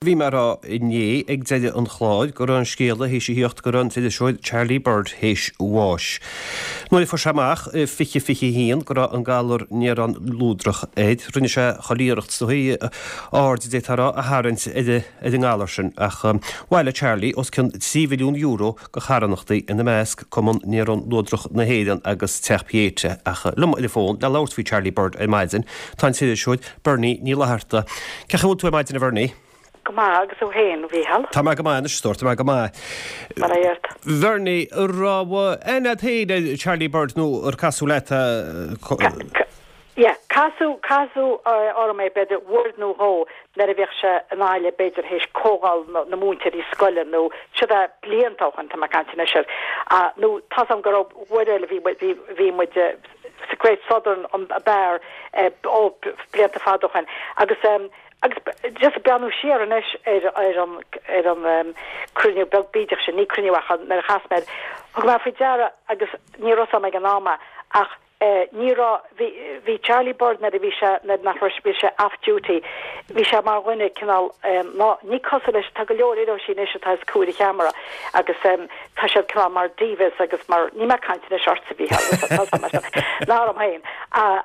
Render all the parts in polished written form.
Bhí mé a rá inné ag deireadh an chláir go raibh an scéala théis a thíocht go raibh an t-iriseoir Charlie Bird théis bháis. Nuair a fuair sé amach i 2021 go raibh an galar néarán luadrach air, rinne sé chuile iarracht is dóigh aird, d'fhéadfá a rá, a tharraingt ar an ngalar sin. Ach bhailigh Charlie os cionn €3 mhilliún do charthanachtaí, ina measc Cumann Néarán Luadrach na hÉireann agus Teach Pieta. Ach liom ar an bhfón le labhairt faoi Charlie Bird ar maidin tá an t-iriseoir Bernie Ní Fhlatharta. Cén chaoi a bhfuil tú ar maidin a Bhernie? Go maith, agus tú féin, a Mhícheál? Tá mé go maith anois, a stór, tá mé go maith. Bail ó Dhia ort. Bhernie, an raibh aithne agat féin ar Charlie Bird nó ar casadh leat é? Yeah, casadh, casadh orm é b'fhéidir uair nó dhó nuair a bhíodh sé i nGaillimh b'fhéidir théis comhdháil na múinteoirí scoile nó siod é blianta ó shoin tá mé ag caint anois air. Nó tá's agam go raibh uair eile bhí, bhí, bhí muid, sa Great Southern an beár ó blianta fada ó shoin agus agus just ag breathnú siar anois ar ar an ar an cruinniú beag bídeach sin, ní cruinniú ach nuair a chas mé air, thug mé faoi deara agus ní raibh 'fhios a'm ag an am é ach ní raibh, bhí bhí Charlie Bird nuair a bhí sé nuair nach raibh bhí sé off duty bhí sé mar dhuine cineál ná ní cosúil leis tá go leor iriseoirí anois atá os comhair an cheamara agus tá siad cineál mar divas agus mar, níl mé ag caint anois ortsa a Mhícheál, ná orm féin,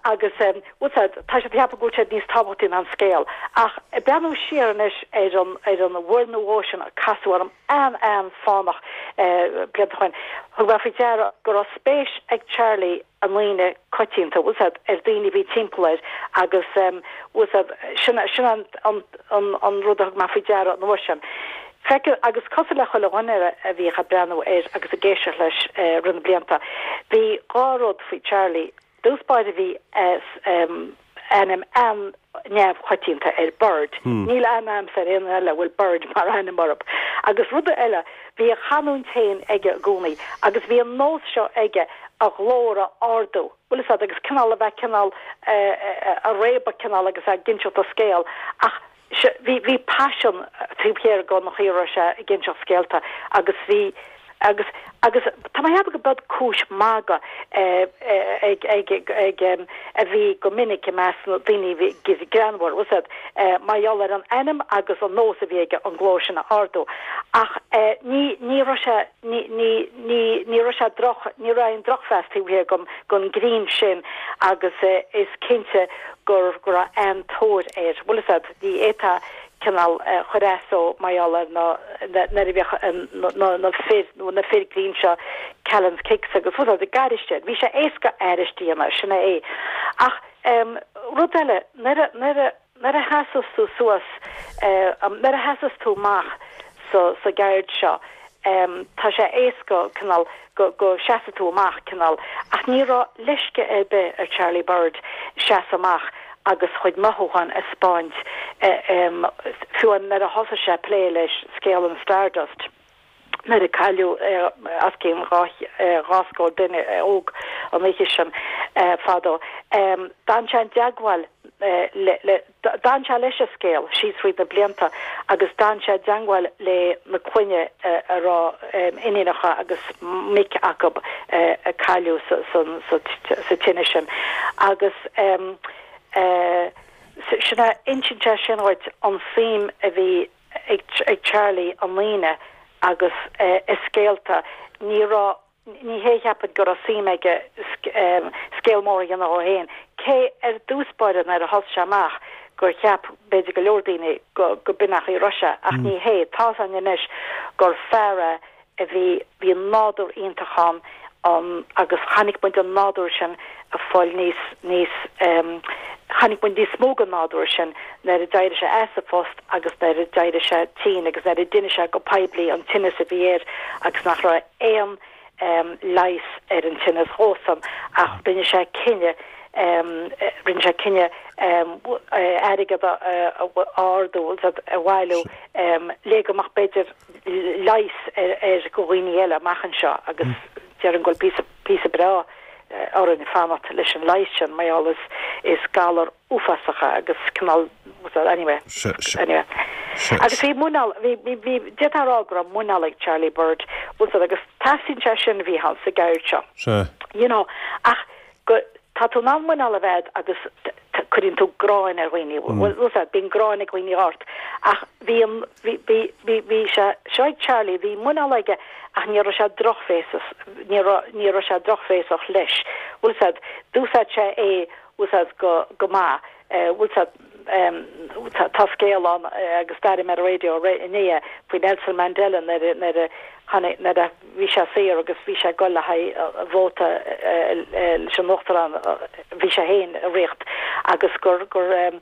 agus bhfuil 's a'd, tá siad ag ceapadh go bhfuil siad níos tábhachtaí ná an scéal. Ach ag breathnú siar anois ar an, ar an uair nó dhó sin a casadh orm an-an-fhánach blianta ó shoin, thug mé faoi deara go raibh spéis ag Charlie i ndaoine coitianta, bhfuil 's a'd, ar daoine a bhí timpeall air agus bhfuil 's a'd, sin, sin an, an, an, an rud a thug mé faoi deara an uair sin. Feicthe, agus cosúil le chuile dhuine a bhíodh ag breathnú air agus ag éisteacht leis i rith na blianta, bhí dhá rud faoi Charlie. Dtús báire bhí ainm an-neamhchoitianta air, Bird. Níl aithne a'msa ar aon duine eile a bhfuil Bird mar ainm orthu. Agus rud eile, bhí a chanúint féin aige i gcónaí agus bhí an nós seo aige a ghlór a ardú, bhfuil 'fhios a'd, agus cineál a bheith cineál a réabadh cineál agus é ag inseacht a scéal ach Bhí, bhí paisean taobh thiar den chaoi a raibh sé ag inseacht scéalta agus bhí, agus, agus tá mé a cheapadh go b'iod cúis magaidh ag, ag, ag, a bhí go minic i measc na daoine a bhí greannmhar, bhfuil 's a'd, mar gheall ar an ainm agus an nós a bhí aige an glór sin a ardú. Ach ní, ní raibh sé, ní, ní, ní, ní raibh sé droch, ní raibh aon drochmheas taobh thiar den, den grinn sin agus is cinnte gur go raibh an-tóir air. Bhfuil 'fhios a'd, ní fhéadfá cineál chur as dó mar gheall ar na, nuair a bhíodh na, na fir, nó na fir grinn seo, Callan's Kicks agus bhfuil 'fhios a'd, ag aithris air. Bhí sé éasca aithris a dhéanamh, sin é. Ach rud eile, nuair a, nuair a, Nuair a sheasas tú suas, nuair a sheasas tú amach sa sa gceird seo, tá sé éasca cineál go go seasfaidh tú amach cineál ach ní raibh leisce ar bith ar Charlie Bird seasamh amach agus a chuid mothúchán a 'speáint fiú nuair a thosaigh sé ag plé leis scéal an Stardust. nuair a cailleadh os cionn 2 scór duine óg an oíche sin fadó. D'fhan sé i dteagmháil le, d'fhan sé leis an scéal síos thríd na blianta agus d'fhan sé i dteagmháil le na clainne a raibh iníonacha agus mic acu a cailleadh sa tine sin agus sin é, insíonn sé sin dhuit an suim a bhí ag Charlie i ndaoine agus i scéalta. Ní raibh, ní hé cheapfainn go raibh suim aige scéal mór a dhéanamh dhó fhéin, cé ar dtús báire nuair a thosaigh sé amach gur cheap b'fhéidir go leor daoine go b'in an chaoi a raibh sé ach ní hé. Tá's againn anois gur fear é a bhí, bhí nádúr iontach ann ann agus chonaic muid an nádúr sin ag fáil níos, níos, chonaic muid níos mó den nádúr sin nuair a d'éirigh sé as a phost agus nuair a d'éirigh sé tinn agus nuair a d'inis sé go poiblí an tinneas a bhí air agus nach raibh aon leigheas ar an tinneas dhósan ach rinne sé cinneadh, rinne sé cinneadh airgead a ardú, a bhailiú le go mbeadh b'fhéidir leigheas air do dhaoine eile amach anseo agus déarfainn go bhfuil píosa, píosa breá orainn fanacht leis an leigheas sin mar gheall is, is galar uafásach é agus cineál, anyway, anyway. Agus bhí muineál, bhí, bhí, bhí, d'fhéadfá a rá go raibh muineál ag Charlie Bird, bhfuil 's a'd, agus teastaíonn sé sin a bhí ann sa gceird seo. You know, ach go, tá tú in ann muineál a bheith a'd agus. Cuireann tú gráin ar dhaoine, bhfuil fhios a'd, bíonn gráin ag dhaoine ort. Ach bhí an, bhí, bhí, bhí, bhí sé seo ag Charlie, bhí muineál aige ach ní raibh sé drochbhéasach, ní raibh, ní raibh sé drochbhéasach leis. Bhfuil fhios a'd, d'úsáid sé é, bhfuil fhios a'd, go, go maith. Bhfuil fhios a'd, tá, tá scéal ann agus d'airigh mé ar an raidió inné é, faoi Nelson Mandela nuair a, nuair a tháinig, nuair a bhí sé saor agus bhí sé ag dul le haghaidh vóta leis an uachtarán, bhí sé féin i riocht agus gur, gur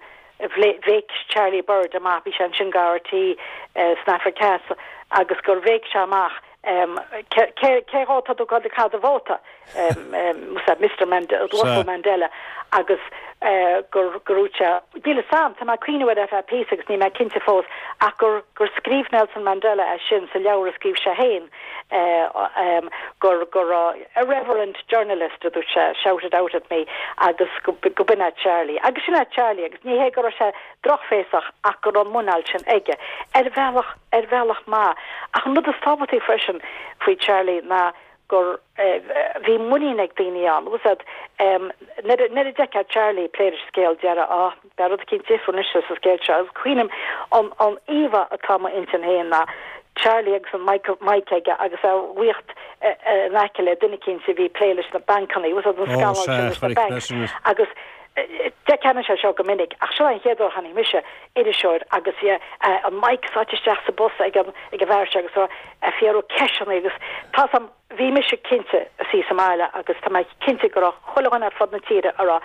bhéic Charlie Bird amach, bhí sé ansin go RTÉ san Afraic Theas agus gur bhéic sé amach cé, cé, cé dhó tá tú ag dul ag caitheamh do vóta? Mister Mandela, Uasal Mandela agus gur gur dhúirt sé, níl fhios a'm, tá mé ag cuimhneamh air ar feadh píosa agus níl mé cinnte fós, ach gur gur scríobh Nelson Mandela é sin sa leabhar a scríobh sé féin gur gur irreverent journalist a dúirt sé, shouted out at me agus go go b'in é Charlie. Agus sin é Charlie agus ní hé go raibh sé drochbhéasach ach go raibh an muineál sin aige, ar bhealach, ar bhealach maith. Ach an rud is tábhachtaí freisin faoi Charlie ná gur bhí muinín ag daoine ann. Bhfuil fhios a'd, nuair a, nuair a d'fheicfeá Charlie ag plé leis an scéal, déarfá, á, beidh rud eicínt difriúil anois sa scéal seo. Agus cuimhním, an, an íomhá atá i m'intinn féin ná Charlie agus an mic, mic aige agus é ag ritheacht in aice le duine eicínt a bhí ag plé leis na bancanna, bhfuil fhios a'd, an scannal sin leis na banks. Agus d'fheicfeá anois é seo go minic, ach seo an chéad uair a chonaic mise iriseoir agus bhí an mic sáite isteach sa bpus ag an ag an bhfear seo agus é ag fiafraí ceisteanna agus tá 'fhios a'm, bhí mise cinnte ag suí sa mbaile agus tá mé cinnte go raibh chuile dhuine ar fud na tíre a rá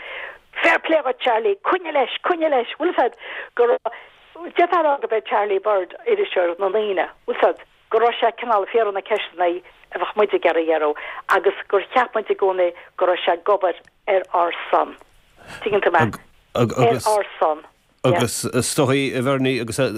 fair play dhuit Charlie, coinnigh leis, coinnigh leis, bhfuil 'fhios a'd go raibh, d'fhéadfá a rá go b'é Charlie Bird iriseoir na ndaoine, bhfuil 'fhios a'd, go raibh sé cineál ag fiafraí na ceisteanna a bheadh muid ag iarraidh a fhiafraí agus gur cheap muid i gcónaí go raibh sé ag obair ar ár son. Tuigeann tú mé? Ar ár son. Agus is dóigh, a Bhernie, agus é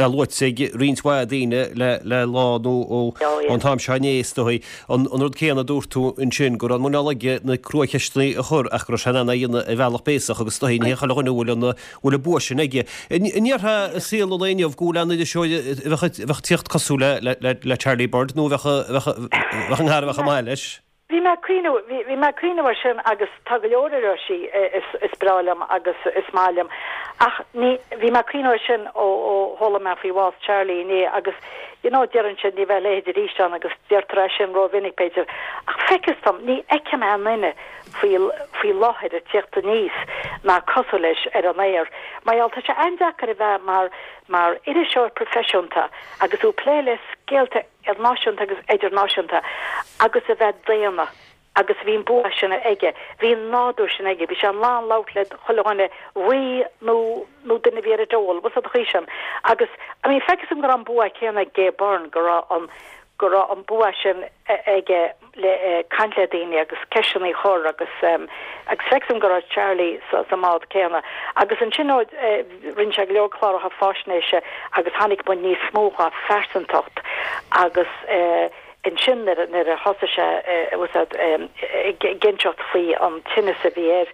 luaite ag roinnt mhaith daoine le lá nó ón t-am seo inné, is dóigh, an rud céanna a dúirt tú ansin, go raibh an muineál aige na cruacheisteanna a chur ach go raibh sé in ann é a dhéanamh ar bhealach béasach agus is dóigh ní hé chuile dhuine a bhfuil an bhfuil an bua sin aige. An ndéarfá i saol an lae inniu go bhfuil aon iriseoir a bheadh ag tíocht cosúil le Charlie Bird nó a bheadh an cara a bheadh chomh maith leis? Bhí mé ag cuimhneamh, bhí, bhí mé ag cuimhneamh air sin agus tá go leor iriseoirí is, is breá liom agus is maith liom ach ní, bhí mé ag cuimhneamh air sin ó, ó chuala mé faoi bhás Charlie inné agus you know deireann siad ní bheidh a leithéid arís ann agus deirtear é sin rómhinic b'fhéidir ach feictear dom, ní fheicim aon duine faoi, faoi láthair ag tíocht aníos ná cosúil leis ar an aer mar gheall tá sé an-deacair a bheith mar, mar iriseoir proifisiúnta agus tú ag plé le scéalta náisiúnta agus idirnáisiúnta agus a bheith daonna agus bhí an bua sin aige, bhí an nádúr sin aige, bhí sé in ann labhairt le chuile dhuine, rí nó nó duine a bhí ar an dole, bhfuil 'fhios a'd an chaoi sin. Agus I mean feictear dom go raibh an bua céanna ag Gay Byrne, go raibh an go raibh an bua sin aige le caint le daoine agus ceisteanna a chur agus agus feictear dom go raibh Charlie sa sa mbád céanna. Agus ansin ó rinne sé go leor cláracha faisnéise agus tháinig muid níos mó dhá phearsantacht agus ansin nuair nuair a thosaigh sé bhfuil 'fhios a'd ag inseacht faoi an tinneas a bhí air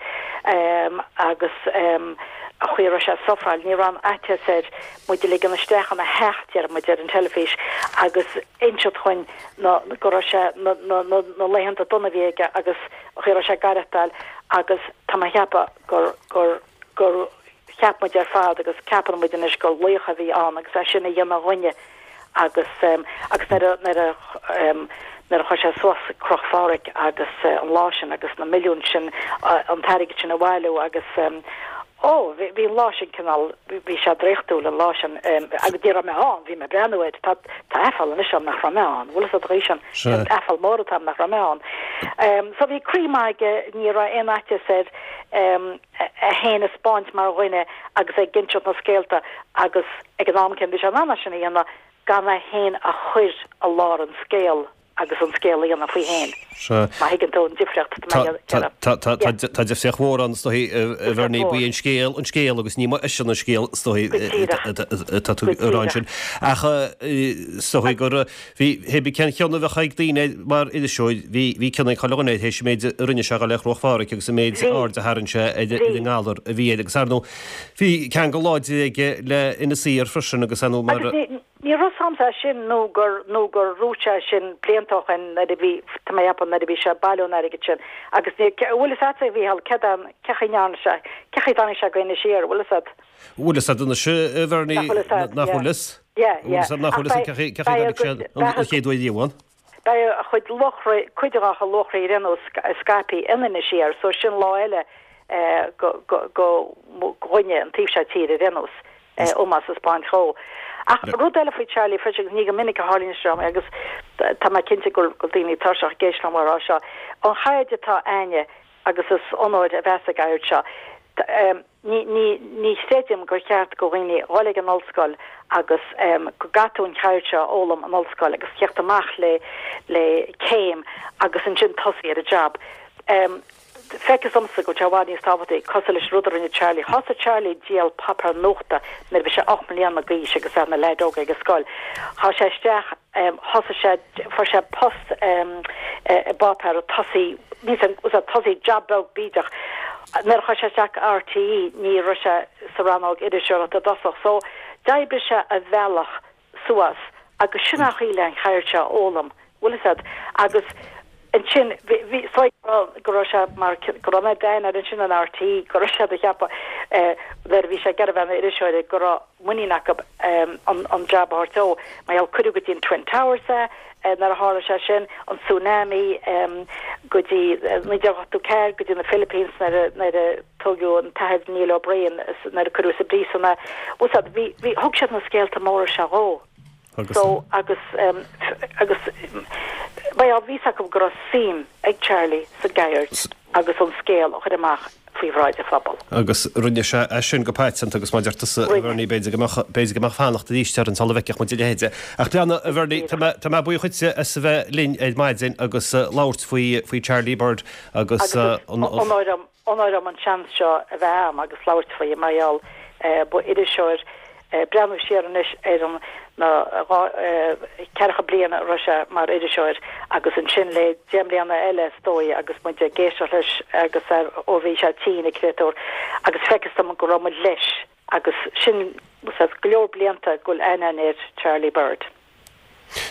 agus an chaoi a raibh sé ag sufferáil, ní raibh aon fhaitíos air muid a ligean isteach ina theach, deir muid, ar an teilifís agus inseacht dhuinn na, go raibh sé, na, na, na, na laethanta dona a bhí aige agus an chaoi a raibh sé ag aireachtáil agus tá mé a cheapadh gur, gur, gur cheap muid ar fad agus ceapann muid anois gur laoch a bhí ann agus é sin a dhéanamh dhúinne agus, agus nuair a, nuair a, nuair a chuir sé suas Croch Phádraig agus an lá sin agus na milliúin sin, an t-airgead sin a bhailiú agus, Ó, bhí, bhí an lá sin cineál, bhí sé draíochtúil an lá sin, agus ní raibh mé ann, bhí mé ag breathnú air, tá, tá aiféala anois orm nach raibh mé ann, bhfuil fhios a'd an chaoi sin, Sea. aiféala mór atá orm nach raibh mé ann. So bhí croí maith aige, ní raibh aon fhaitíos air é féin a 'spáint mar dhuine agus é ag inseacht na scéalta agus ag an am céanna bhí sé in ann é sin a dhéanamh gan é féin a chur i lár an scéil. agus an scéal a dhéanamh faoi féin. Sea. Má thuigeann tú an difríocht atá mé a dhéanamh. Tá, tá, tá, tá difríocht mhór ann, is dóigh, a Bhernie, ba é an scéal an scéal agus ní eisean an scéal, is dóigh, atá tú a rá ansin. Ach is dóigh gur, bhí, hé bí cén cion a bheadh ag daoine mar iriseoir, bhí, bhí cion ag chuile dhuine air théis an méid a rinne sé a dhul ar Chruach Phádraig agus an méid aird a tharraing sé ar an ngalar a bhí air agus ar ndóigh, bhí ceangal láidir aige le Inis Oírr freisin agus ar ndóigh mar. Ní raibh 's a'msa é sin nó gur, nó gur dhúirt sé sin blianta ó shoin nuair a bhí, tá mé a cheapadh, nuair a bhí sé ag bailiú an airgid sin agus ní, an bhfuil fhios a'dsa a Mhícheál, céard é an, cé chaoi ndearna sé, cé chaoi dtáinig sé go Inis Oírr, bhfuil fhios a'd? Bhfuil fhios a'd anois, a Bhernie, Nach bhfuil fhios a'd, nach bhfuil fhios? Yeah, yeah. Bhfuil fhios a'd nach bhfuil fhios a'd cé chaoi, cé chaoi dtáinig sé an chéad uair riamh ann? Beidh a chuid luachraí, cuid dá chuid luachraí ar aon nós scaipthe in Inis Oírr so sin lá eile go, go, go dhuine an taobh seo tíre ar aon nós. Ómós a 'spáint dhó. Ach rud eile faoi Charlie freisin, agus ní go minic a tharlaíonn sé seo, agus tá mé cinnte go bhfuil daoine tuirseach ag éisteacht liom á rá seo, an cheird atá a'inne, agus is onóir a bheas ag éirí seo, ní, ní, ní chreidim gur cheart go dhaoine dhul ag an ollscoil agus go gcaithfidh tú an cheird seo a fhoghlaim in ollscoil agus theacht amach le, le céim agus ansin tosaí ar an jab. Feictear domsa go bhfuil sé i bhfad níos tábhachtaí, cosúil leis an rud a rinne Charlie. Thosaigh Charlie ag díol páipéar nuachta nuair a bhí sé 8 mbliana d'aois agus é ina leaid óg ag an scoil. Chuaigh sé isteach, thosaigh sé, fuair sé post i bpáipéar ag tosaí, níl 's a'm, tosaí job beag bídeach. Nuair a chuaigh sé isteach go RTÉ ní raibh sé sa rannóg iriseoireachta i dtosach. So, d'oibrigh sé a bhealach suas agus sin an chaoi le an cheird seo a fhoghlaim, bhfuil fhios a'd, agus ansin bhí, bhí, so go raibh sé mar, go raibh mé d'aithne air ansin in RTÉ, go raibh siad a cheapadh eh nuair a bhí sé ag iarraidh bheith ina iriseoir go raibh muinín acu eh an, an jab a thabhairt dó, mar gheall cuireadh go dtí an Twin Towers é eh nuair a tharla sé sin, an tsunami eh go dtí 1984 go dtí na Philippines nuair a, nuair a. Tógadh an tAthair Niall O'Brien nuair a cuireadh sa bpríosún é. Bhfuil 's a'd, bhí, bhí, thug siad na scéalta móra seo dhó. Agus. So, agus, agus, bhuel, bhí 's acu go raibh suim ag Charlie sa gceird agus an scéal a chur amach faoi bhráid an phobail. Agus rinne sé é sin go paiteanta agus mar a deir tusa, a Bhernie, b'fhéidir go mbeadh, b'fhéidir go mbeadh fanacht arís orainn sula bhfeicfeadh muid a leithéid. Ach leana, a Bhernie, tá mé, tá mé buíoch dhuitse as a bheith linn ar maidin agus labhairt faoi, faoi Charlie Bird agus an, an. Agus is onóir dom Onóir dom an seans seo a bheith a'm agus labhairt faoi mar gheall ba iriseoir breathnú siar anois ar an na ceathracha bliain a raibh sé mar iriseoir agus ansin le 10 mbliana eile is dóigh agus muid ag éisteacht leis agus ó bhí sé tinn an créatúr agus feictear dom go raibh muid leis agus sin go leor blianta go bhfuil aithne a'inn ar Charlie Bird.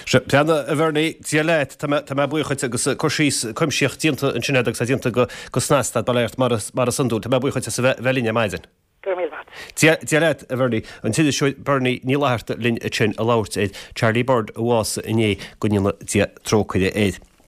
Sea, Bheanna, a Bhernie, Dia leat, tá mé, tá mé buíoch dhuit agus cur síos cuimsitheach déanta ansin agat agus é déanta go, go snasta, bail ort, mar is, mar is iondúil. Tá mé buíoch dhuit as a bheith, bheith linn ar maidin. Go raibh míle maith agat. Dia, Dia leat, a Bhernie. An t-iriseoir Bernie Ní Fhlatharta linn ansin ag labhairt ar Charlie Bird a bhásaigh inné, go ndéana Dia trócaire air.